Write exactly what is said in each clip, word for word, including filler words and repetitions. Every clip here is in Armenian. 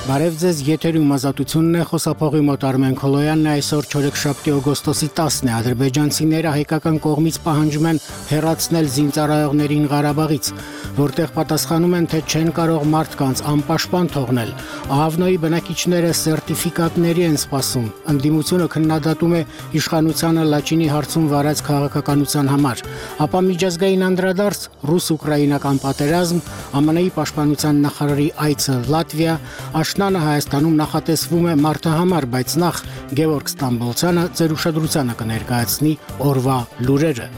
Բարև ձեզ, եթերում ազատությունն է, խոսափողի մոտ Արմեն Քոլոյանն է, այսօր չորեքշաբթի օգոստոսի տասն է, ադրբեջանցիները հայկական կողմից պահանջում են հեռացնել զինծառայողներին Ղարաբաղից, որտեղ պատասխանում են, թե չեն կարող մարդկանց անպաշտպան թողնել։ Ահավնոյի բնակիչները սերտիֆիկատների են սպասում, ընդդիմությունը քննադատում է իշխանությանը Լաչինի հարցում վարած քաղաքականության համար, ապա միջազգային անդրադարձ, ռուս-ուկրաինական պատերազմ, ԱՄՆ-ի պաշտպանության նախարարի այցը Լատվիա, Աշնանը Հայաստանում նախատեսվում է մարտահամար, բայց նախ Գևորգ Ստամբոլցյանը ձեր ուշադրությանը կներկայացնի օրվա լուրերը։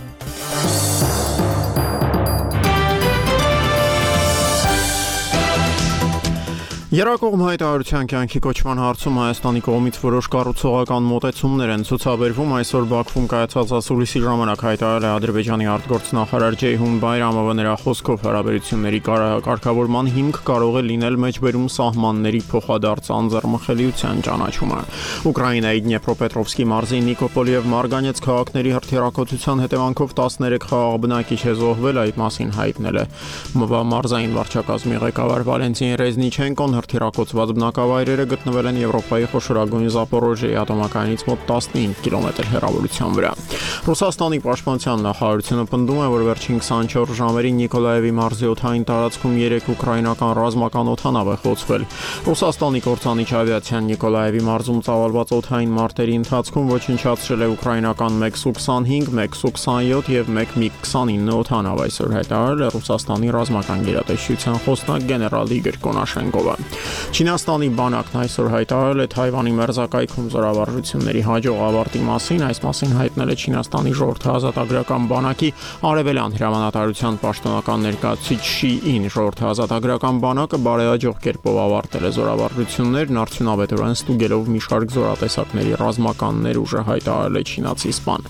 Երակողմ հայտարարության կյանքի կոչման հարցում Հայաստանի կողմից որոշ կառուցողական մոտեցումներ են ցուցաբերվում, այսօր Բաքվում կայացած ասուլիսի ժամանակ հայտարարել է Ադրբեջանի արտգործնախարար Ջեյհուն Բայրամովը, նրա խոսքով հարաբերությունների կարգավորման հիմք կարող է լինել մեջբերում սահմանների փոխադարձ անձեռմխելիության ճանաչումը։ Ուկրաինայի Դնեպրոպետրովսկի մարզի Նիկոպոլի եւ Մարգանեց քաղաքների հրթիռակոծության հետևանքով տասներեք խաղաղ բնակիչ է զոհվել, այդ մասին հայտնել է մարզային վարչակազմի ղեկավար Վալենտին Ռեզնիչենկոն։ Հրթիռակոծված բնակավայրերը գտնվել են Եվրոպայի խոշորագույն Զապորոժիեի ատոմակայանից մոտ տասնհինգ կիլոմետր հեռավորության վրա։ Ռուսաստանի պաշտպանության նախարարությունը պնդում է, որ վերջին քսանչորս ժամերին Նիկոլաևի մարզի օդային տարածքում երեք ուկրաինական ռազմական օդանավ է խոցվել։ Ռուսաստանի կործանիչ ավիացիան Նիկոլաևի մարզում ծավալված օդային մարտերի ընթացքում ոչնչացրել է ուկրաինական մեկ Սու քսանհինգ, մեկ Սու քսանյոթ եւ մեկ միգ քսանինը օդանավ, այսօր հայտարարել է Ռուսաստանի ռազմական գերատեսչության խոսնակ գեներալ Իգոր Կոնաշենկովը։ Չինաստանի բանակն այսօր հայտարարել է Թայվանի մերձակայքում զորավարժությունների հաջող ավարտի մասին, այս մասին հայտնել է Չինաստանի ժողովրդաազատագրական բանակի արևելյան հրամանատարության պաշտոնական ներկայացուցիչ Շի Ին։ Ժողովրդաազատագրական բանակը բարեհաջող կերպով ավարտել է զորավարժություններն, արդյունավետորեն ստուգելով մի շարք զորատեսակների ռազմական ներուժը, հայտարարել է չինացի սպան։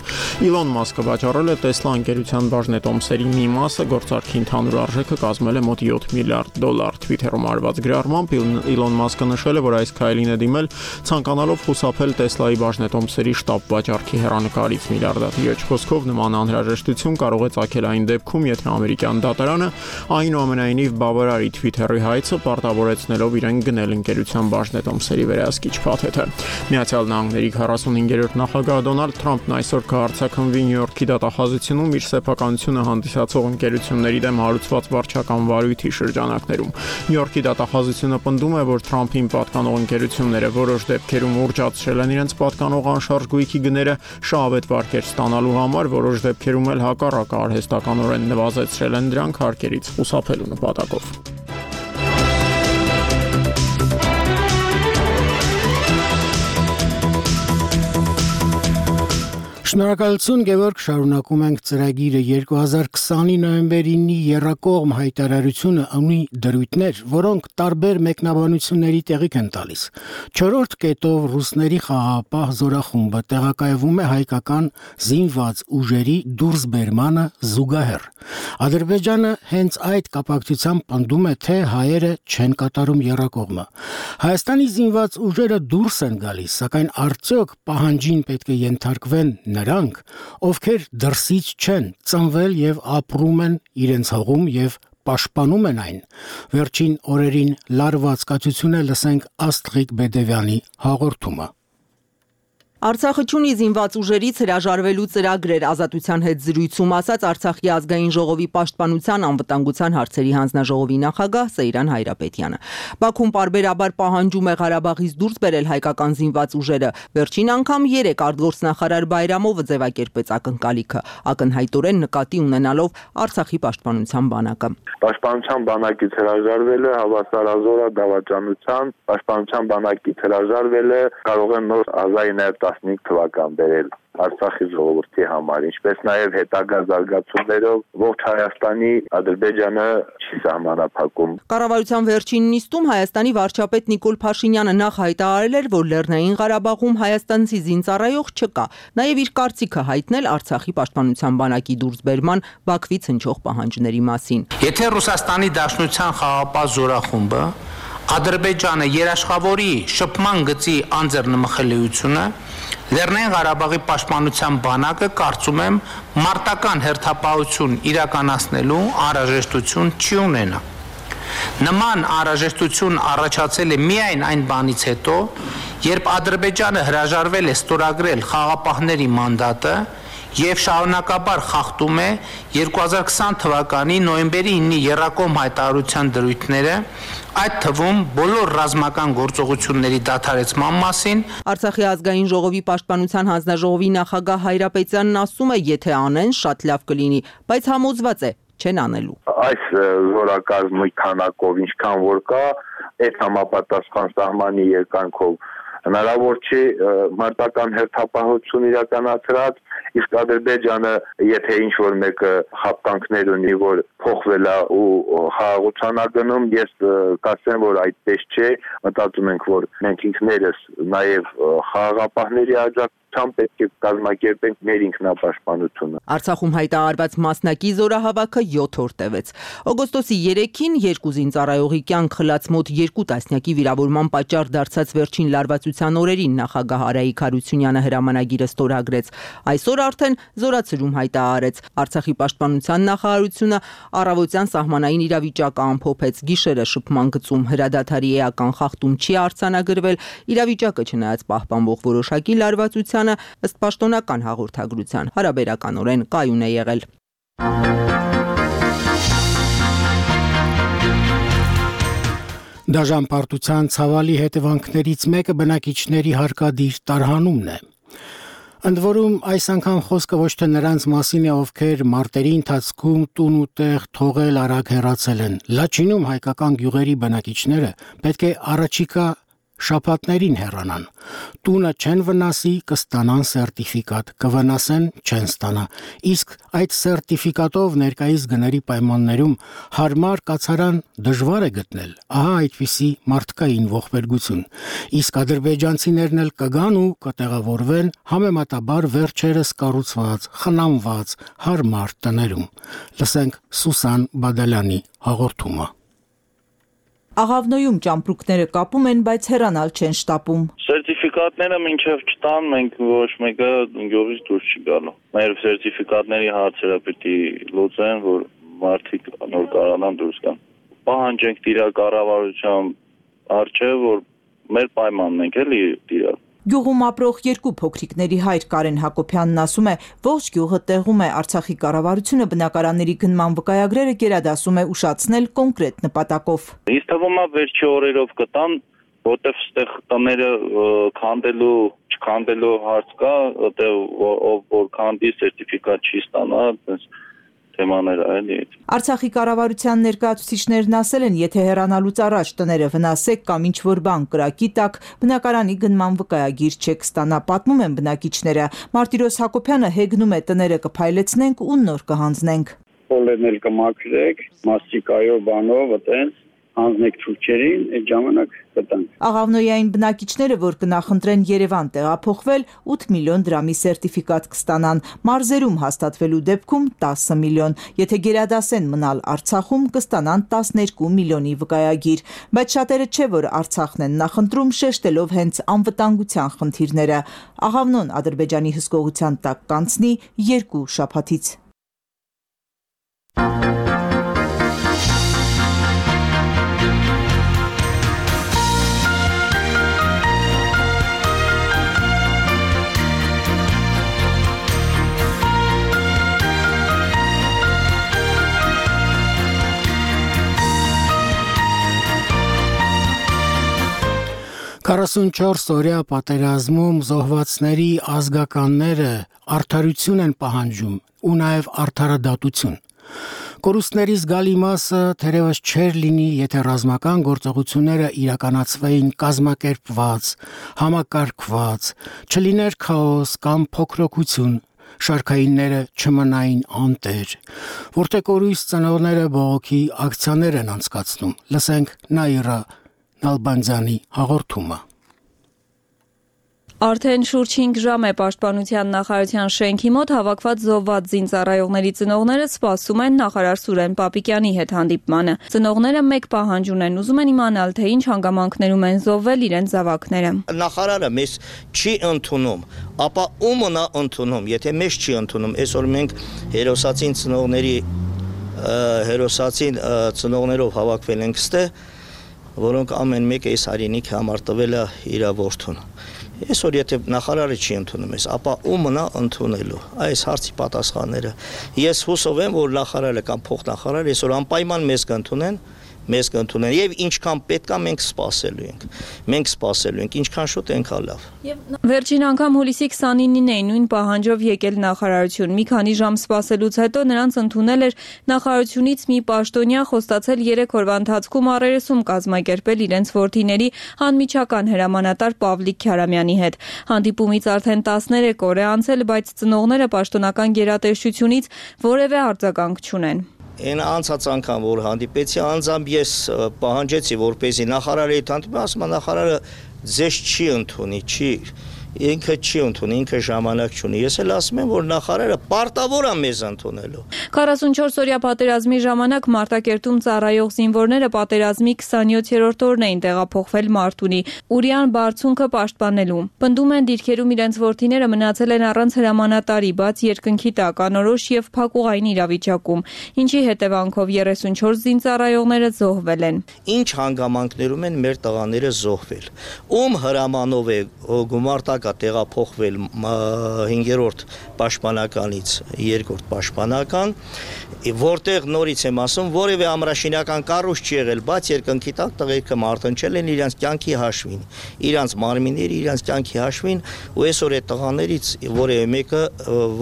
Իլոն Մասկը վաճառել է Տեսլա ընկերության բաժնետոմսերի մի մասը, գործարքի ընդհանուր արժեքը կազմել է մոտ յոթ միլիարդ դոլար։ Թվիթերում արված գրառմամբ Իլոն Մասկը նշել է, որ այս քայլին է դիմել ցանկանալով խուսափել Տեսլայի բաժնետոմսերի շտապ վաճառքի հեռանկարից։ Միլիարդատիրոջ խոսքով նման անհրաժեշտություն կարող է ծագել այն դեպքում, եթե ամերիկյան դատարանը այնուամենայնիվ բավարարի Թվիթերի հայցը, պարտավորեցնելով իրեն գնել ընկերության բաժնետոմսերի վերահսկիչ փաթեթը։ Միացյալ Նահանգների քառասունհինգերորդ նախագահ Դոնալդ Թրամփն այսօր կհարձակվի Նյու Յորքի դատախազությունում իր սեփականությունը հանդիսացող ընկերությունների դեմ հարուցված վարչական վարույթի շրջանակներում։ Նյու Յորքի դատախազությունը պնդում է, որ Թրամփին պատկանող ընկերությունները որոշ դեպքերում ուռճացրել են իրենց պատկանող անշարժ գույքի գները շահավետ վարկեր ստանալու համար, որոշ դեպքերում էլ հակառակը արհեստականորեն նվազեցրել են դրանք հարկերից խուսափելու նպատակով։ Շնորհակալություն, Գևորգ, շարունակում ենք ծրագիրը։ երկու հազար քսանի նոյեմբերի ինի եռակողմ հայտարարությունը ունի դրույթներ, որոնք տարբեր մեկնաբանությունների տեղիք են տալիս։ Չորրորդ կետով ռուսների խաղաղապահ զորախումբը տեղակայվում է հայկական զինված ուժերի դուրսբերմանը զուգահեռ։ Ադրբեջանը հենց այդ կապակցությամբ պնդում է, թե հայերը չեն կատարում եռակողմը։ Հայաստանի զինված ուժերը դուրս են գալիս, սակայն արդյոք պահանջին պետք է ենթարկվեն նրանք, ովքեր դրսից չեն, ծնվել եւ ապրում են իրենց հողում եւ պաշտպանում են այն։ Վերջին օրերին լարված կացություն է, լսենք Աստղիկ Բեդևյանի հաղորդումը։ Արցախը չունի զինված ուժերից հրաժարվելու ծրագրեր, Ազատության հետ զրույցում ասաց Արցախի ազգային ժողովի պաշտպանության անվտանգության հարցերի հանձնաժողովի նախագահ Սեյրան Հայրապետյանը։ Բաքուն պարբերաբար պահանջում է Ղարաբաղից դուրս բերել հայկական զինված ուժերը։ Վերջին անգամ երեք արտգործնախարար Բայրամովը ձևակերպեց ակնկալիքը, ակնհայտորեն նկատի ունենալով Արցախի պաշտպանության բանակը։ Պաշտպանության բանակից հրաժարվել է հավասարազոր դավաճանության, պաշտպանության բանակից հրաժարվել է կարող է նոր ազգային տասնհինգ թվական բերել Արցախի ժողովրդի համար, ինչպես նաև հետագա զարգացումներով ողջ Հայաստանի Ադրբեջանը չի սահմանափակում։ Կառավարության վերջին նիստում Հայաստանի վարչապետ Նիկոլ Փաշինյանը նախ հայտարարել էր, որ Լեռնային Ղարաբաղում հայաստանցի զինծառայող չկա, նաև իր կարծիքը հայտնել Արցախի պաշտպանության բանակի դուրսբերման Բաքվից հնչող պահանջների մասին։ Եթե Ռուսաստանի Դաշնության խաղաղապահ զորախումբը Ադրբեջանը երաշխավորի շփման գծի անձեռնմխելիությունը, Լեռնային Ղարաբաղի պաշտպանության բանակը կարծում եմ մարտական հերթապահություն իրականացնելու անհրաժեշտություն չի ունենա։ Նման անհրաժեշտություն առաջացել է միայն այն բանից հետո, երբ Ադրբեջանը հրաժարվել է ստորագրել խաղապահների մանդատը եւ շարունակաբար խախտում է երկու հազար քսան թվականի նոյեմբերի ինը եռակողմ հայտարարության դրույթները, այդ թվում բոլոր ռազմական գործողությունների դադարեցման մասին։ Արցախի ազգային ժողովի պաշտպանության հանձնաժողովի նախագահ Հայրապետյանն ասում է, եթե անեն, շատ լավ կլինի, բայց համոզված է, չեն անելու։ Այս զորակազմի քանակով ինչքան որ կա, այդ համապատասխան սահմանի երկանքով հնարավոր չի մարտական հերթապահություն իրականացրած, իսկ Ադրբեջանը, եթե ինչ-որ մեկը խապկանքներ ունի, որ փոխվել է ու խաղաղության ագնում, ես կասեմ, որ այդպես չէ, մտածում ենք, որ մենք ինքներս նաև խաղաղապահների աջակցությամբ պետք է կազմակերպենք մեր ինքնապաշտպանությունը։ Արցախում հայտարարված մասնակի զորահավաքը յոթ օր տևեց։ Օգոստոսի երեքին երկու զինծառայողի կյանք խլած մոտ երկու տասնյակի վիրավորման պատճառ դարձած վերջին լարվածության օրերին նախագահ Արայիկ Հարությունյանը հրամանագիրը ստորագրեց։ Այսօր արդեն զորացրում հայտարարեց։ Արցախի պաշտպանության նախարարությունը առավոտյան սահմանային իրավիճակը ամփոփեց, գիշերը շփման գծում հրադադարի էական խախտում չի արձանագրվել, իրավիճակը չնայած պահպանվող որոշակի լարվածությանը ըստ պաշտոնական հաղորդագրության հարաբերականորեն կայուն է եղել։ Դաժան պարտության ցավալի հետևանքներից մեկը բնակիչների հարկադիր տարհանումն է։ Ընդ որում այս անգամ խոսքը ոչ թե նրանց մասին է, ովքեր մարտերի ընթացքում տուն ու տեղ թողել արագ հեռացել են։ Լաչինում հայկական գյուղերի բնակիչները պետք է առաջիկա շաբաթներին հեռանան։ Տունը չեն վնասի, կստանան սերտիֆիկատ, կվնասեն, չեն ստանա։ Իսկ այդ սերտիֆիկատով ներկայիս գների պայմաններում հարմար կացարան դժվար է գտնել։ Ահա այդպիսի մարդկային ողբերգություն։ Իսկ ադրբեջանցիներն էլ կգան ու կտեղավորվեն համեմատաբար վերջերս կառուցված, խնամված, հարմար տներում։ Լսենք Սուսան Բադալյանի հաղորդումը։ Աղավնոյում ճամպրուկները կապում են, բայց հեռանալ չեն շտապում։ Սերտիֆիկատները մինչև չտան, մենք ոչ մեկը գյուղից դուրս չի գալու։ Մեր սերտիֆիկատների հարցերը պիտի լուծեն, որ մարդիկ նոր կարողանան դուրս գան։ Պահանջենք տիրալ կառավարության առջև, որ մեր պայմանն ենք էլի տիրալ։ Գյուղում ապրող երկու փոքրիկների հայր Կարեն Հակոբյանն ասում է, ողջ գյուղը տեղում է, Արցախի կառավարությունը բնակարանների գնման վկայագրերը գերադասում է ուշացնել կոնկրետ նպատակով։ Ինձ թվում է վերջի օրերով կտան, որտեվ ստեղ տները քանդելու, չքանդելու հարց կա, որտեվ ով որ քանդի սերտիֆիկատ չի ստանա, այդպես թեմաներ այլի։ Արցախի կառավարության ներկայացուցիչներն ասել են, եթե հեռանալուց առաջ տները վնասեք կամ ինչ-որ բան կրակի տակ, բնակարանի գնման վկայագիր չեք ստանա, պատմում են բնակիչները։ Մարտիրոս Հակոբյանը հեգնում է տները կփայլեցնենք ու նոր կհանձնենք։ Պոլերն էլ կմաքրեք, մաստիկայով բանով, այտենց հանձնեք ցույցերին, այդ ժամանակ կտանք։ Աղավնոյային բնակիչները, որ կնախընտրեն Երևան տեղափոխվել, ութ միլիոն դրամի սերտիֆիկատ կստանան, մարզերում հաստատվելու դեպքում տասը միլիոն, եթե գերադասեն մնալ Արցախում, կստանան տասներկու միլիոնի վկայագիր, բայց շատերը չէ, որ Արցախն են նախընտրում, շեշտելով հենց անվտանգության խնդիրները։ Աղավնոն Ադրբեջանի հսկողության տակ կանցնի երկու շաբաթից։ քառասունչորս օրյա պատերազմում զոհվածների ազգականները արդարություն են պահանջում ու նաև արդարադատություն։ Կորուստների զգալի մասը թերևս չէր լինի, եթե ռազմական գործողությունները իրականացվեին կազմակերպված, համակարգված, չլիներ քաոս կամ փոքրոքություն, շարքայինները չմնային անտեր, որտեղ կորույս ծնողները բողոքի ակցիաներ են անցկացնում։ Լսենք Նաիրա Նալբանդյանի հաղորդումը։ Արդեն շուրջ հինգ ժամ է պաշտպանության նախարարության շենքի մոտ հավաքված զոհված զինծառայողների ծնողները սպասում են նախարար Սուրեն Պապիկյանի հետ հանդիպմանը։ Ծնողները մեկ պահանջ ունեն, ուզում են իմանալ, թե ինչ հանգամանքներում են զոհվել իրենց զավակները։ Նախարարը մեզ չի ընդունում, ապա ո՞ւմն է ընդունում, եթե մեզ չի ընդունում, այսօր մենք հերոսացին ծնողների հերոսացին ծնողներով հավաքվել ենք ստե, որոնք ամեն մեկը այս հայրենիքի համար տվել է իր որդուն։ Այսօր եթե նախարարը չի ընդունում ես, ապա ում մնա ընդունելու այս հարցի պատասխանները։ Ես հուսով եմ, որ նախարարը կամ փոխնախարարը այսօր անպայման մեզ կընդունեն, մեզ կընդունեն եւ ինչքան պետքա մենք սպասելու ենք։ Մենք սպասելու ենք, ինչքան շուտ այնքան լավ։ Վերջին անգամ հուլիսի քսանինին էին նույն պահանջով եկել նախարարություն։ Մի քանի ժամ սպասելուց հետո նրանց ընդունել էր նախարարությունից մի պաշտոնյա, խոստացել երեք օրվա ընթացքում առերեսում կազմակերպել իրենց որդիների անմիջական հրամանատար Պավլիկ Քյարամյանի հետ։ Հանդիպումից արդեն տասներեք օր է անցել, բայց ծնողները պաշտոնական գերատեսչությունից որևէ արձագանք չունեն։ Այն անցած անգամ որ հանդիպեցի անձամբ ես պահանջեցի որպեսզի նախարարի հետ հանդիպեմ, ասում նախարարը ձեզ չի ընդունի, չի ինքը չի ընդունի, ինքը ժամանակ չունի։ Ես էլ ասում եմ, որ նախարարը պարտավոր է մեզ ընդունելու։ քառասունչորս օրյա պատերազմի ժամանակ Մարտակերտում ծառայող զինվորները պատերազմի քսանյոթերորդ օրն էին տեղափոխվել Մարտունի, Ուրյան բարձունքը պաշտպանելու։ Պնդում են դիրքերում իրենց որդիները մնացել են առանց հրամանատարի, բաց երկնքի տակ, անորոշ եւ փակուղային իրավիճակում, ինչի հետևանքով երեսունչորս զինծառայողները զոհվել են։ Ինչ հանգամանքներում են մեր տղաները զոհվել։ Ում հրամանով է գումարտակ տեղափոխվել հինգերորդ պաշտպանականից երկրորդ պաշտպանական, որտեղ նորից եմ ասում, որևէ ամրաշինական կառույց չի եղել, բաց երկնքի տակ տղերքը մարտնչել են իրանց կյանքի հաշվին, իրանց մարմինների իրանց կյանքի հաշվին, ու այսօր այդ տղաներից որևէ մեկը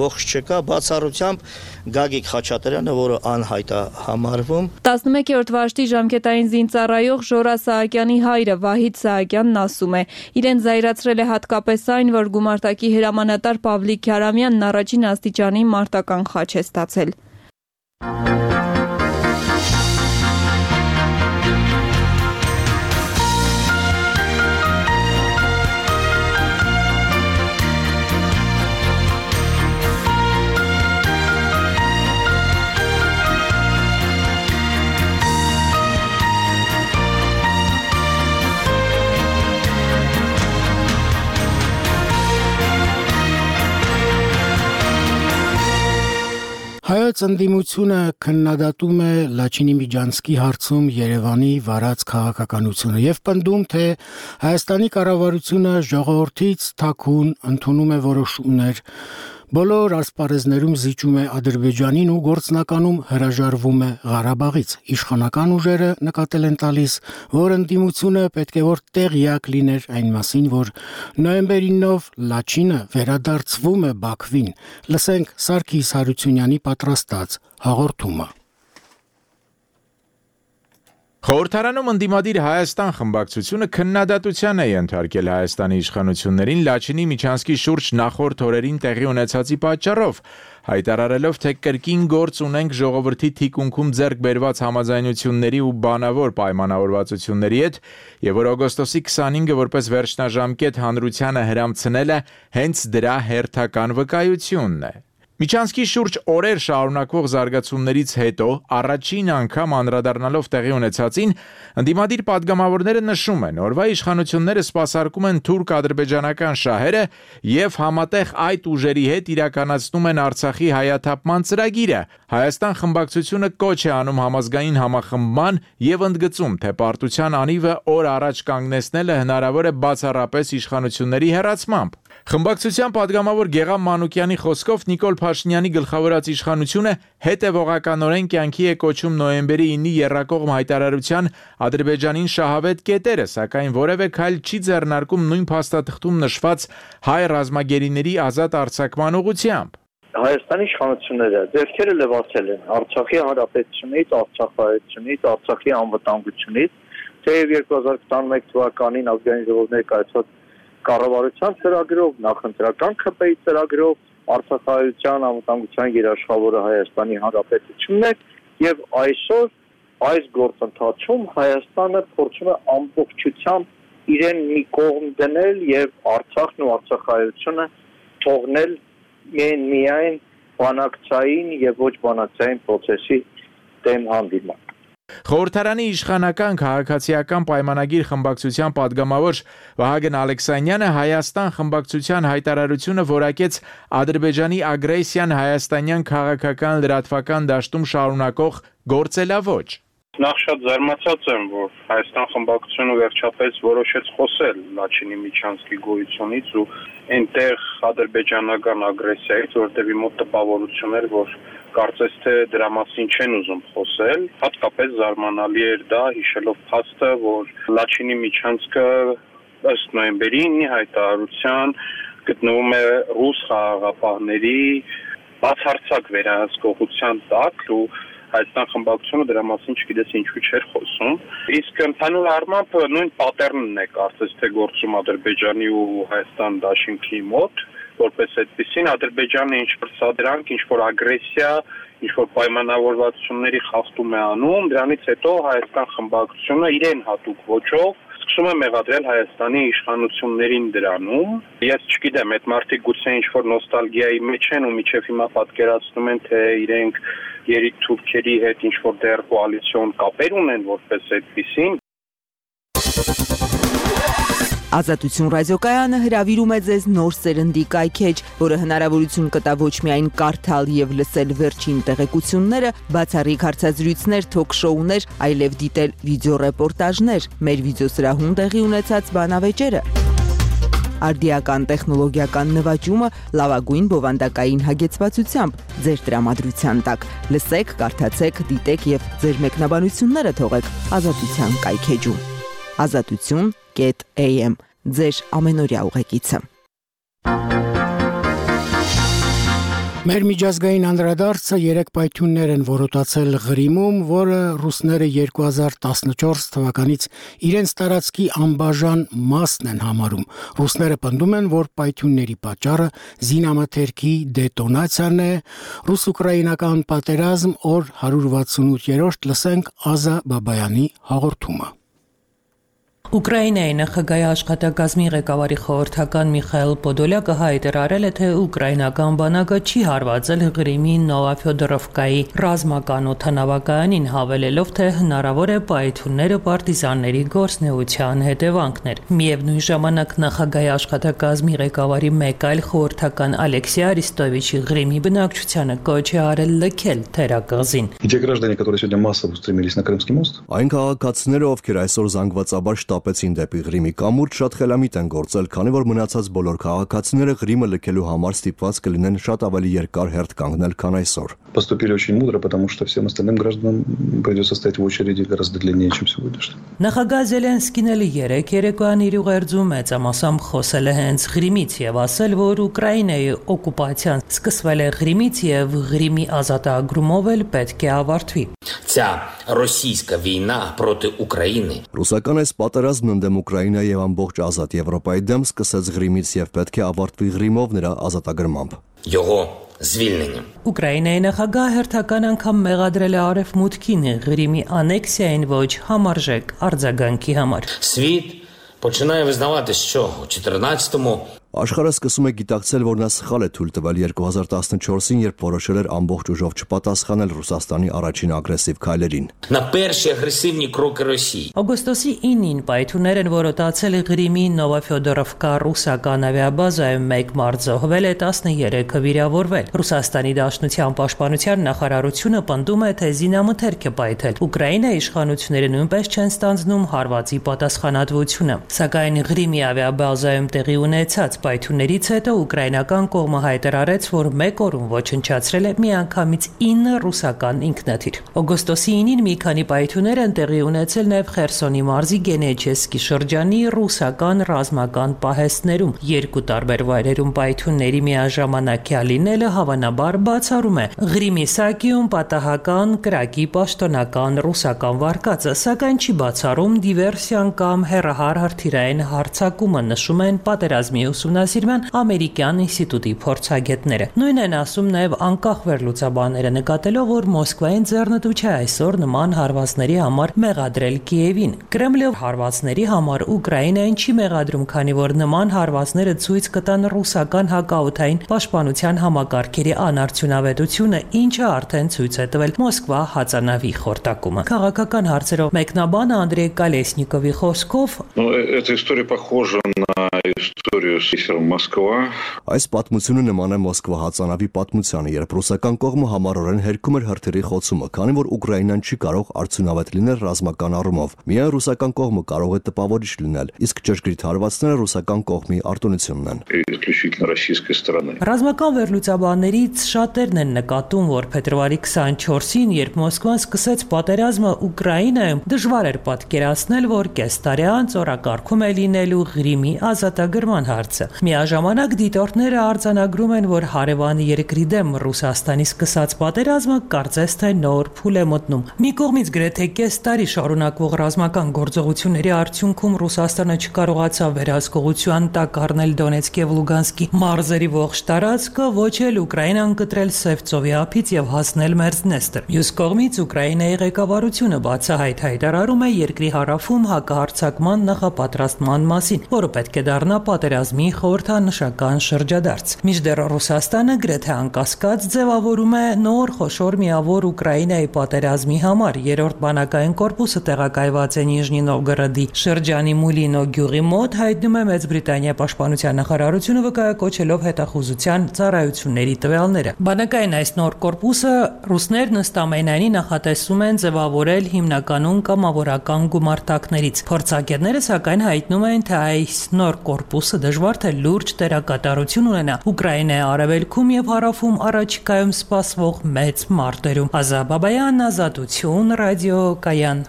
ողջ չկա, բացառությամբ Գագիկ Խաչատրյանը, որը անհայտ է համարվում։ տասնմեկերորդ վաշտի ժամկետային զինծառայող Ժորա Սահակյանի հայրը Վահիդ Սահակյանն ասում է, իրեն զայրացրել է հատկապես այն, որ գումարտակի հրամանատար Պավլիկ Քյարամյանն առաջին աստիճանի մարտական խաչ է ստացել։ Հայոց ընդդիմությունը քննադատում է Լաչինի Միջանցքի հարցում Երևանի վարած քաղաքականությունը եւ պնդում, թե Հայաստանի կառավարությունը ժողովրդից թաքուն ընդունում է որոշումներ, բոլոր ասպարեզներում զիջում է Ադրբեջանին ու գործնականում հրաժարվում է Ղարաբաղից։ Իշխանական ուժերը նկատել են տալիս, որ ընդդիմությունը պետք է որ տեղյակ լիներ այն մասին, որ նոյեմբերի ինով Լաչինը վերադարձվում է Բաքվին։ Լսենք Սարգիս Հարությունյանի պատրաստած հաղորդումը։ Խորհրդարանում ընդդիմադիր Հայաստան խմբակցությունը քննադատության է ենթարկել Հայաստանի իշխանություններին Լաչինի Միջանցքի շուրջ նախորդ օրերին տեղի ունեցածի պատճառով, հայտարարելով, թե կրկին գործ ունենք ժողովրդի թիկունքում ձեռք բերված համաձայնությունների ու բանավոր պայմանավորվածությունների հետ, եւ որ օգոստոսի քսանհինգը որպես վերջնաժամկետ հանրությանը հրամցնելը հենց դրա հերթական վկայությունն է։ Միջանցքի շուրջ օրեր շարունակվող զարգացումներից հետո առաջին անգամ անդրադառնալով տեղի ունեցածին, ընդդիմադիր падգամավորները նշում են, օրվա իշխանությունները սպասարկում են թուրք-ադրբեջանական շահերը եւ համատեղ այդ ուժերի հետ իրականացնում են Արցախի հայաթափման ծրագիրը։ Հայաստան խմբակցությունը կոչ է անում համազգային համախմբման եւ ընդգծում, թե պարտության անիվը օր առաջ կանգնեցնելը հնարավոր է բացառապես իշխանությունների հեռացմամբ։ Խմբակցության падգամավոր Գեգամ Մանուկյանի խոսքով Նիկոլ Փաշինյանի գլխավորած իշխանությունը հետևողականորեն կյանքի է կոչում նոյեմբերի ինի եռակողմ հայտարարության Ադրբեջանին շահավետ կետերը, սակայն որևէ քայլ չի ձեռնարկում նույն փաստաթղթում նշված հայ ռազմագերիների ազատ արձակման ուղղությամբ։ Հայաստանի իշխանությունները ձեռքերը լվացել են Արցախի հանրապետությունից, Արցախայությունից, Արցախի անվտանգությունից, թեև երկու հազար քսաներեք թվականին ազգային ժողովի ներկայացված կառավարության ծրագրով, նախընտրական ՔՊ-ի ծրագրով Արցախայության անվտանգության երաշխավորը Հայաստանի Հանրապետությունն է եւ այսօր այս գործընթացում Հայաստանը փորձում է ամբողջությամբ իրեն մի կողմ դնել եւ Արցախն ու Արցախայությունը թողնել միայն միայն բանակցային եւ ոչ բանակցային process-ի դեմ հանդիման։ Խորհրդարանի իշխանական քաղաքացիական պայմանագիր խմբակցության падգամավոր Վահագն Ալեքսանյանը Հայաստան խմբակցության հայտարարությունը որակեց Ադրբեջանի ագրեսիան հայաստանյան քաղաքական լրատվական դաշտում շարունակող գործելավոճ։ Նախ շատ զարմացած եմ, որ Հայաստան խմբակցությունը վերջապես որոշեց խոսել Լաչինի Միչանսկի գոյությունից ու այնտեղ ադրբեջանական ագրեսիայից, որտեղի մոտ տպավորություն էր, որ կարծես թե դրա մասին չեն ուզում խոսել, հատկապես զարմանալի էր դա հիշելով փաստը, որ Լաչինի Միչանսկը ըստ նոյեմբերի ինի հայտարարության գտնվում է ռուս խաղաղապահների բացարձակ վերահսկողության տակ ու Հայաստան խմբակցությունը դրա մասին չգիտես ինչու չէր խոսում։ Իսկ ընդհանուր առմամբ նույն պատերնն է կարծես թե գործում Ադրբեջանի ու Հայաստան դաշինքի մոտ, որպես այդպեսին Ադրբեջանը ինչ-որ սադրանք, ինչ-որ ագրեսիա, ինչ-որ պայմանավորվածությունների խախտում է անում, դրանից հետո Հայաստան խմբակցությունը իրեն հատուկ ոճով սկսում է մեղադրել Հայաստանի իշխանություններին դրանում։ Ես չգիտեմ, այդ մարդիկ գուցե ինչ-որ նոստալգիայի մեջ են ու միջև հիմա պատկերացնում են, թե իրենք երիկ թուրքերի հետ ինչ-որ դեռ կոալիցիոն կապեր ունեն որպես այդպիսին։ Ազատություն ռադիոկայանը հրավիրում է ձեզ նոր սերնդի կայքեջ, որը հնարավորություն կտա ոչ միայն կարդալ եւ լսել վերջին տեղեկությունները, բացառիկ հարցազրույցներ, թոք-շոուներ, այլև դիտել վիդեոռեպորտաժներ, մեր վիդեոսրահում տեղի ունեցած բանավեճերը։ Արդիական տեխնոլոգիական նվաճումը լավագույն բովանդակային հագեցվածությամբ ձեր տրամադրության տակ։ Լսեք, կարդացեք, դիտեք եւ ձեր մեկնաբանությունները թողեք Ազատության կայքեջում։ Ազատություն A M ձեր ամենօրյա ուղեկիցը։ Մեր միջազգային անդրադարձը երեք պայթյուններ են որոտացել Ղրիմում, որը ռուսները երկու հազար տասնչորս թվականից իրենց տարածքի անբաժան մասն են համարում։ Ռուսները պնդում են, որ պայթյունների պատճառը զինամթերքի դետոնացիան է։ Ռուս-ուկրաինական պատերազմ օր հարյուր վաթսունութերորդ լսենք Ազա Բաբայանի հաղորդումը։ Ուկրաինայի նախագահի աշխատակազմի ղեկավարի խորհրդական Միխայել Պոդոլյակը հայտարարել է, թե ուկրաինական բանակը չի հարվածել Ղրիմի Նովոֆյոդորովկայի ռազմական օդանավակայանին, հավելելով, թե հնարավոր է պայթյունները պարտիզանների գործունեության հետևանքներ։ Միևնույն ժամանակ նախագահի աշխատակազմի ղեկավարի մեկ այլ խորհրդական Ալեքսեյ Արիստովիչի Ղրիմի բնակչությանը կոչ է արել լքել թերակղզին։ Այն քաղաքացիները, ովքեր այսօր զանգվածաբար շտապեցին դեպի Ղրիմի կամուրջ, շատ խելամիտ են գործել, քանի որ մնացած բոլոր քաղաքացիները Ղրիմը լքելու համար ստիպված կլինեն շատ ավելի երկար հերթ կանգնել, քան այսօր։ Поступили очень мудро, потому что всем остальным гражданам придется стоять в очереди гораздо длиннее, чем сегодня. Նախագահ Զելենսկին էլ երեք երեկոյան իր ուղերձում մեծամասամբ խոսել է հենց Ղրիմից եւ ասել, որ Ուկրաինայի օկուպացիան սկսվել է Ղրիմից եւ Ղրիմի ազատագրումով էլ պետք է ավարտվի։ Ця російська війна проти України. Ռուսական այս պատերազմն ընդդեմ Ուկրաինայի եւ ամբողջ ազատ Եվրոպայի դեմ սկսեց Ղրիմից եւ պետք է ավարտվի Ղրիմով նրա ազատագրմամբ։ Його звільненням. Ուկրաինայի նախագահը հերթական անգամ մեղադրել է Արևմուտքին Ղրիմի անեքսիային ոչ համարժեք արձագանքի համար։ Світ починає визнавати, що у чотирнадцятому Աշխարհը սկսում է գիտակցել, որ նա սխալ է թույլ տվել երկու հազար տասնչորսին, երբ որոշել էր ամբողջ ուժով չպատասխանել Ռուսաստանի առաջին ագրեսիվ քայլերին։ На перші агресивні кроки Росії. Օգոստոսի ինին պայթյուններ են որոտացել Ղրիմի Նովոֆյոդորովկա ռուսական ավիաբազայում մեկ մարդ զոհվել է, տասներեքը վիրավորվել։ Ռուսաստանի Դաշնության պաշտպանության նախարարությունը պնդում է, թե զինամթերք է պայթել։ Ուկրաինայի իշխանությունները նույնպես չեն ստանձնում հարվածի պատասխանատվությունը։ Սակայն Ղրիմի ավիաբազայում տեղի ունեցած պայթյուններից հետո ուկրաինական կողմը հայտարարեց, որ մեկ օրում ոչնչացրել է միանգամից ինը ռուսական ինքնաթիռ։ Օգոստոսի ինին մի քանի պայթյուններ են տեղի ունեցել նաև Խերսոնի մարզի Գենեչեսկի շրջանի ռուսական ռազմական պահեստներում։ Երկու տարբեր վայրերում պայթյունների միաժամանակյա լինելը հավանաբար բացառում է Ղրիմի սակիում պատահական կրակի պաշտոնական ռուսական վարկածը, սակայն չի բացառում դիվերսիան կամ հեռահար հրթիռային հարձակումը, նշում են պատերազմի ուսումնասիրում են ամերիկյան ինստիտուտի փորձագետները։ Նույնն են ասում նաև անկախ վերլուծաբանները, նկատելով, որ Մոսկվային ձեռնտու չէ այսօր նման հարվածների համար մեղադրել Կիևին։ Կրեմլը հարվածների համար Ուկրաինային չի մեղադրում, քանի որ նման հարվածները ցույց կտան ռուսական հակաօդային պաշտպանության համակարգերի անարդյունավետությունը, ինչը արդեն ցույց է տվել Մոսկվա հածանավի խորտակումը։ Քաղաքական հարցերով մեկնաբանը Անդրեյ Կալեսնիկովի խոսքով Эта история похожа на историю с Москва. Այս պատմությունը նման է Մոսկվա հածանավի պատմությանը, երբ ռուսական կողմը համառորեն հերքում էր հրթիռի խոցումը, քանի որ Ուկրաինան չի կարող արդյունավետ լինել ռազմական առումով։ Միայն ռուսական կողմը կարող է տպավորիչ լինել, իսկ ճշգրիտ հարվածները ռուսական կողմի արտոնությունն են։ Исключительно российской стороны. Ռազմական վերլուծաբաններից շատերն են նկատում, որ փետրվարի քսանչորսին, երբ Մոսկվան սկսեց պատերազմը Ուկրաինայում, դժվար էր պատկերացնել, որ կես տարի անց օրակարգում է լինելու Ղրիմի ազատագրման հարցը։ Միաժամանակ դիտորդները արձանագրում են, որ հարևան երկրի դեմ Ռուսաստանի սկսած պատերազմը կարծես թե նոր փուլ է մտնում։ Մի կողմից գրեթե կես տարի շարունակվող ռազմական գործողությունների արդյունքում Ռուսաստանը չկարողացավ վերահսկողության տակ առնել Դոնեցկ եւ Լուգանսկի մարզերի ողջ տարածքը, ոչ էլ Ուկրաինան կտրել Սև ծովի ափից եւ հասնել Մերձնեստր։ Մյուս կողմից Ուկրաինայի ղեկավարությունը բացահայտ հայտարարում է երկրի հարավում հակահարձակման նախապատրաստման մասին, որը պետք է դառնա պատերազմի խորհրդանշական շրջադարձ։ Մինչդեռ Ռուսաստանը գրեթե անկասկած ձևավորում է նոր խոշոր միավոր Ուկրաինայի պատերազմի համար։ Երրորդ բանակային կորպուսը տեղակայված է Նիժնի Նովգորոդի շրջանի Մուլինո գյուղի մոտ, հայտնում է Մեծ Բրիտանիա պաշտպանության նախարարությունը, վկայակոչելով հետախուզության ծառայությունների տվյալները։ Բանակային այս նոր կորպուսը ռուսներն ըստ ամենայնի նախատեսում են ձևավորել հիմնականում կամավորական գումարտակներից։ Փորձագետները սակայն հայտնում են, թե այս նոր կորպուսը դժվար թե լուրջ դերակատարություն ունենա Ուկրաինայի արևելքում եւ հարավում առաջիկայում սպասվող մեծ մարտերում։ Ազա Բաբայան, Ազատություն, ռադիո Կայան։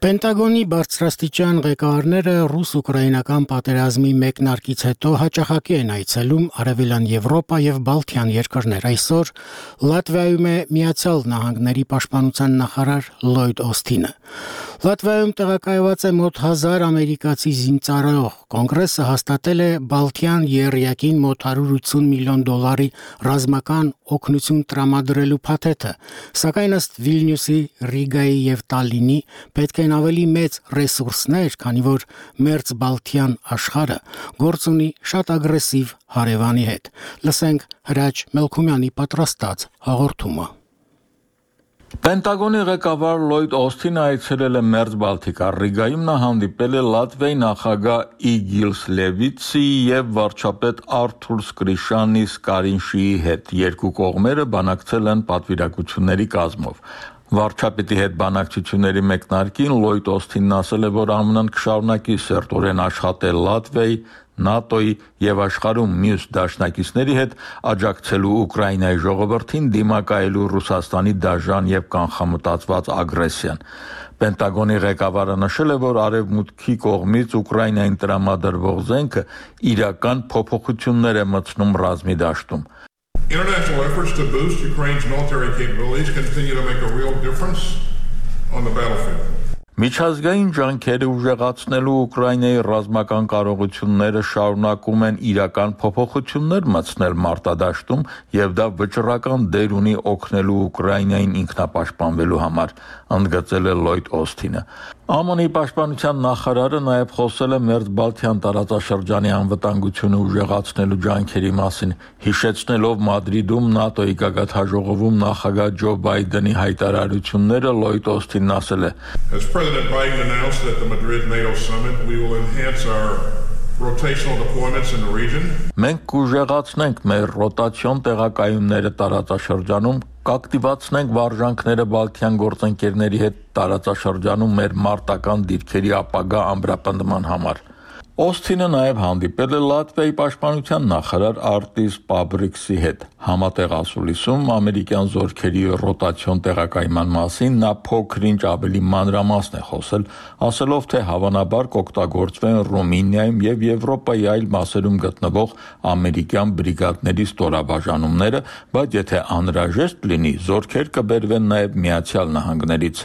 Պենտագոնի բարձրաստիճան ղեկավարները ռուս-ուկրաինական պատերազմի մեկնարկից հետո հաճախակի են այցելում Արևելյան Եվրոպա եւ Բալթյան երկրներ։ Այսօր Լատվիայում է Միացյալ Նահանգների պաշտպանության նախարար Լլոյդ Օսթինը։ Լատվիայում տեղակայված է մոտ հազար ամերիկացի զինծառայող։ Կոնգրեսը հաստատել է Բալթյան եռյակին մոտ հարյուր ութսուն միլիոն դոլարի ռազմական օգնություն տրամադրելու փաթեթը, սակայն ըստ Վիլնյուսի, Ռիգայի եւ Տալինի պետք են ավելի մեծ ռեսուրսներ, քանի որ Մերձբալթյան աշխարհը գործ ունի շատ ագրեսիվ հարևանի հետ։ Լսենք Հրաչ Մելքումյանի պատրաստած հաղորդումը։ Պենտագոնի ղեկավար Լլոյդ Օսթինը այցելել է Մերձբալթիկա Ռիգայում, նա հանդիպել է Լատվիայի նախագահ Իգիլս Լևիցի եւ վարչապետ Արթուր Սկրիշանի Սկարինշիի հետ։ Երկու կողմերը բանակցել են պատվիրակությունների կազմով։ Վարչապետի հետ բանակցությունների մեկնարկին Լլոյդ Օսթինն ասել է, որ ԱՄՆ-ն կշարունակի սերտորեն աշխատել Լատվիայի, ՆԱՏՕ-ի եւ աշխարհում մյուս դաշնակիցների հետ աջակցելու Ուկրաինայի ժողովրդին դիմակայելու Ռուսաստանի դաժան եւ կանխամտածված ագրեսիան։ Պենտագոնի ղեկավարը նշել է, որ արևմուտքի կողմից Ուկրաինային տրամադրվող զենքը իրական փոփոխություններ է մտցնում ռազմի դաշտում։ International efforts to boost Ukraine's military capabilities continue to make a real difference on the battlefield. Միջազգային ջանքերը ուժեղացնելու Ուկրաինայի ռազմական կարողությունները շարունակում են իրական փոփոխություններ մտցնել մարտադաշտում եւ դա վճռական դեր ունի օգնելու Ուկրաինային ինքնապաշտպանվելու համար, ընդգծել է Լլոյդ Օսթինը։ ԱՄՆ-ի պաշտպանության նախարարը նաև խոսել է Մերձբալթյան տարածաշրջանի անվտանգությունը ուժեղացնելու ջանքերի մասին, հիշեցնելով Մադրիդում ՆԱՏՕ-ի գագաթնաժողովում նախագահ Ջո Բայդենի հայտարարությունները, Լլոյդ Օսթինն ասել է. As President Biden announced at the Madrid NATO summit, we will enhance our rotational deployments in the region. Մենք կուժեղացնենք մեր ռոտացիոն տեղակայումները տարածաշրջանում, կակտիվացնենք վարժանքները Բալթյան գործընկերների հետ տարածաշրջանում մեր մարտական դիրքերի ապագա ամրապնդման համար։ Օսթինը նաև հանդիպել է Լատվիայի պաշտպանության նախարար Արտիս Պաբրիքսի հետ։ Համատեղ ասուլիսում ամերիկյան զորքերի ռոտացիոն տեղակայման մասին նա փոքր-ինչ ավելի մանրամասն է խոսել, ասելով, թե հավանաբար կօգտագործվեն Ռումինիայում եւ Եվրոպայի այլ մասերում գտնվող ամերիկյան բրիգադների ստորաբաժանումները, բայց եթե անհրաժեշտ լինի, զորքեր կբերվեն նաև Միացյալ Նահանգներից։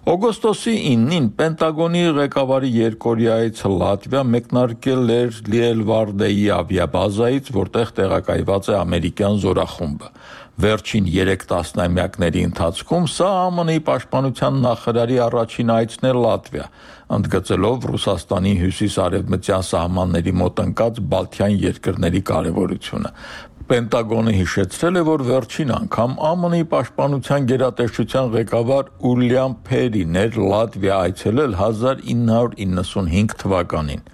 Օգոստոսի իննին Պենտագոնի ղեկավարի երկօրյայից Լատվիա մեկնարկել էր Լիելվարդեի ավիաբազայից, որտեղ տեղակայված է ամերիկյան զորախումբը։ Վերջին երեք տասնամյակների ընթացքում սա ԱՄՆ-ի պաշտպանության նախարարի առաջին այցն է Լատվիա, ընդգծելով Ռուսաստանի հյուսիս-արևմտյան սահմանների մոտ ընկած Բալթյան երկրների կարևորությունը։ Պենտագոնը հիշեցրել է, որ վերջին անգամ ԱՄՆ-ի պաշտպանության գերատեսչության ղեկավար Ուիլյամ Փերին էր Լատվիա այցելել հազար ինը հարյուր իննսունհինգ թվականին։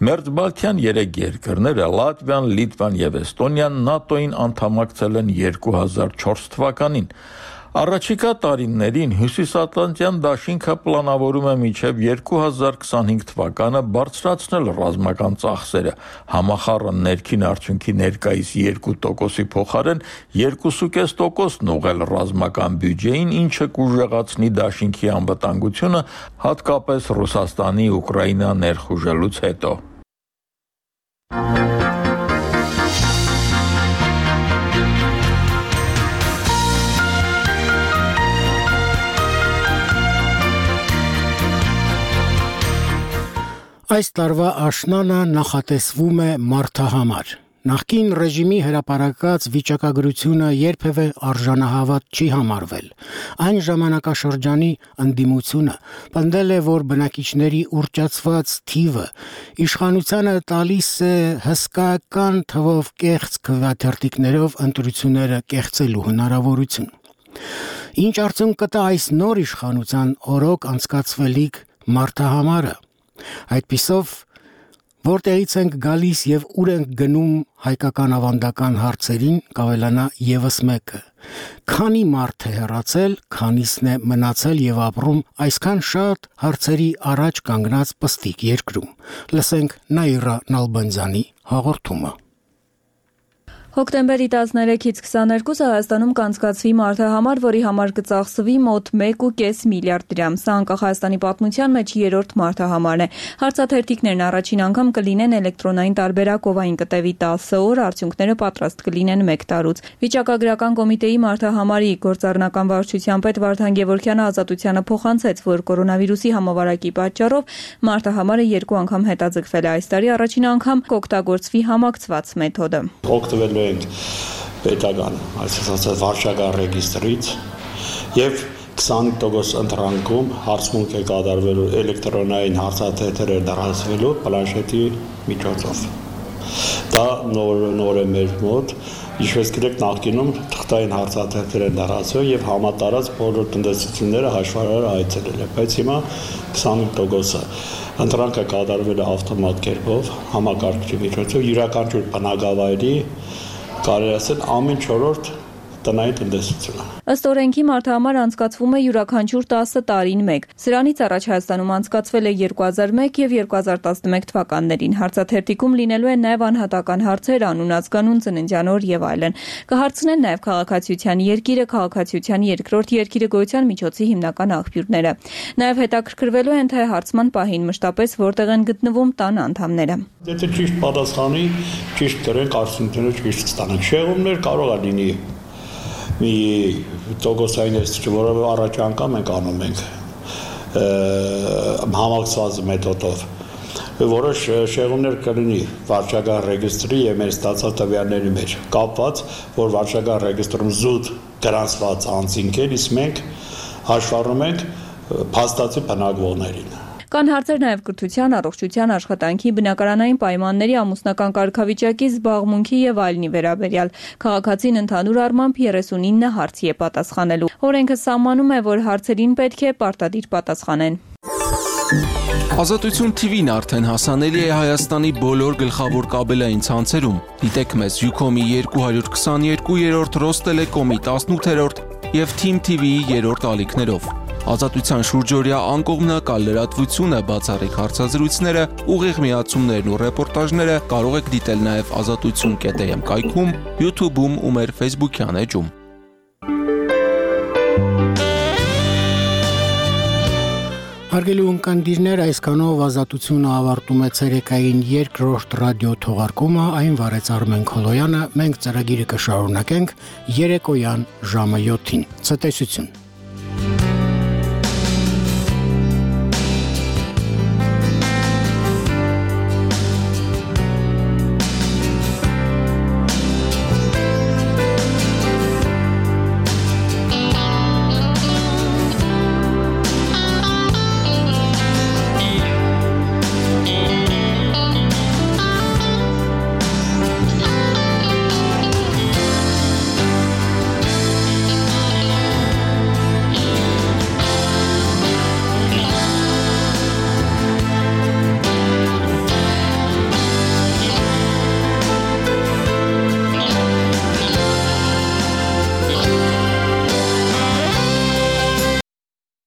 Մերձբալթյան երեք երկրները՝ Լատվիան, Լիտվան եւ Էստոնիան ՆԱՏՕ-ին անդամակցել են երկու հազար չորս թվականին։ Առաջիկա տարիներին Հյուսիսատլանտյան դաշինքը պլանավորում է մինչև երկու հազար քսանհինգ թվականը բարձրացնել ռազմական ծախսերը, համախառն ներքին արդյունքի ներկայիս երկու տոկոսի փոխարեն երկու կoma պենս տոկոսն ուղղել ռազմական բյուջեին, ինչը կուժեղացնի դաշինքի անվտանգությունը, հատկապես Ռուսաստանի Ուկրաինա ներխուժելուց հետո։ Այս տարվա աշնանը նախատեսվում է մարդահամար։ Նախկին ռեժիմի հրապարակած վիճակագրությունը երբևէ արժանահավատ չի համարվել։ Այն ժամանակաշրջանի ընդդիմությունը պնդել է, որ բնակիչների ուռճացված թիվը իշխանությանը տալիս է հսկայական թվով կեղծ քվեաթերթիկներով ընտրությունները կեղծելու հնարավորություն։ Ինչ արդյունք կտա այս նոր իշխանության օրոք անցկացվելիք մարդահամարը։ Այդպիսով, որտեղից ենք գալիս եւ ուր ենք գնում հայկական ավանդական հարցերին կավելանա եւս մեկը։ Քանի մարդ է հեռացել, քանիսն է մնացել եւ ապրում այսքան շատ հարցերի առաջ կանգնած պստիկ երկրում։ Լսենք Նաիրա Նալբանդյանի հաղորդումը։ Հոկտեմբերի տասներեքից քսաներկուսը Հայաստանում կանցկացվի մարդահամար, որի համար կծախսվի մոտ մեկ կoma պենս միլիարդ դրամ։ Սա անկախ Հայաստանի պատմության մեջ երրորդ մարդահամարն է։ Հարցաթերթիկներն առաջին անգամ կլինեն էլեկտրոնային տարբերակով, այն կտևի տասը օր, արդյունքները պատրաստ կլինեն մեկ տարուց։ Վիճակագրական կոմիտեի մարդահամարի գործառնական վարչության պետ Վարդան Գևորգյանը ազատությանը փոխանցեց, որ կորոնավիրուսի համավարակի պատճառով մարդահամարը երկու անգամ հետաձգվել է։ Այս տարի առաջին անգամ կօգտագործվի համակցված մեթոդը։ Օգտվելու ենք պետական, այսինքն վարչական ռեգիստրից եւ քսանհինգ տոկոս ընտրանքում հարցմունք է կատարվելու էլեկտրոնային հարցաթերթերը դարձվելու պլանշետի միջոցով։ Դա նոր նոր է մեր մոտ, ինչպես գիտեք, նախկինում թղթային հարցաթերթեր են դարձվել եւ համատարած բոլոր տնտեսությունները հաշվարարը այցելել է, բայց հիմա քսանհինգ տոկոսը ընտրանքը կատարվել է ավտոմատ կերպով, համակարգչի միջոցով, յուրաքանչյուր բնակավայրի կարելի ասել ամեն չորրորդ տնային տնտեսությունը։ Ըստ օրենքի մարդահամարը անցկացվում է յուրաքանչյուր տասը տարին մեկ։ Սրանից առաջ Հայաստանում անցկացվել է երկու հազար մեկ եւ երկու հազար տասնմեկ թվականներին։ Հարցաթերթիկում լինելու են նաեւ անհատական հարցեր, անուն, ազգանուն, ծննդյան օր եւ այլն։ Կհարցնեն նաեւ քաղաքացիության երկիրը, քաղաքացիության երկրորդ երկիրը, գոյության միջոցի հիմնական աղբյուրները։ Նաեւ հետաքրքրվելու են թե հարցման պահին մշտապես որտեղ են գտնվում տան անդամները։ Եթե ճիշտ պատասխանի, ճիշտ կրենք, արդյունքները ճիշտ ստանանք։ Շեղումներ կարող է լինի մի տոկոսային էստի, որով առաջ անգամ ենք անում ենք համակցված մեթոդով, որոշ շեղումներ կլինի վարչական ռեգիստրի եւ մեր ստացած տվյալների մեջ կապված, որ վարչական ռեգիստրում զուտ գրանցված անձինք են, իսկ մենք հաշվառում ենք փաստացի բնակվողներին։ Կան հարցեր նաև կրթության, առողջության, աշխատանքի, բնակարանային պայմանների, ամուսնական կարգավիճակի, զբաղմունքի եւ այլնի վերաբերյալ։ Քաղաքացին ընդհանուր առմամբ երեսունինը հարցի է պատասխանելու։ Օրենքը սահմանում է, որ հարցերին պետք է պարտադիր պատասխանեն։ Ազատություն T V-ն արդեն հասանելի է Հայաստանի բոլոր գլխավոր կաբելային ցանցերում։ Դիտեք մեզ Ucom-ի երկու հարյուր քսաներկու-րդ, Ռոստելեկոմի տասնութերորդ եւ Team T V-ի երրորդ ալիքներով։ Ազատության շուրջօրյա անկողմնակալ լրատվությունը, բացառիկ հարցազրույցները, ուղիղ միացումներն ու ռեպորտաժները կարող եք դիտել նաև ազատություն կետ am կայքում, YouTube-ում ու մեր Facebook-յան էջում։ Հարգելի ունկնդիրներ, այսքանով ազատությունը ավարտում է ցերեկային երկրորդ ռադիո թողարկումը, այն վարեց Արմեն Քոլոյանը, մենք ծրագիրը կշարունակենք երեկոյան ժամը յոթին։ Ցտեսություն։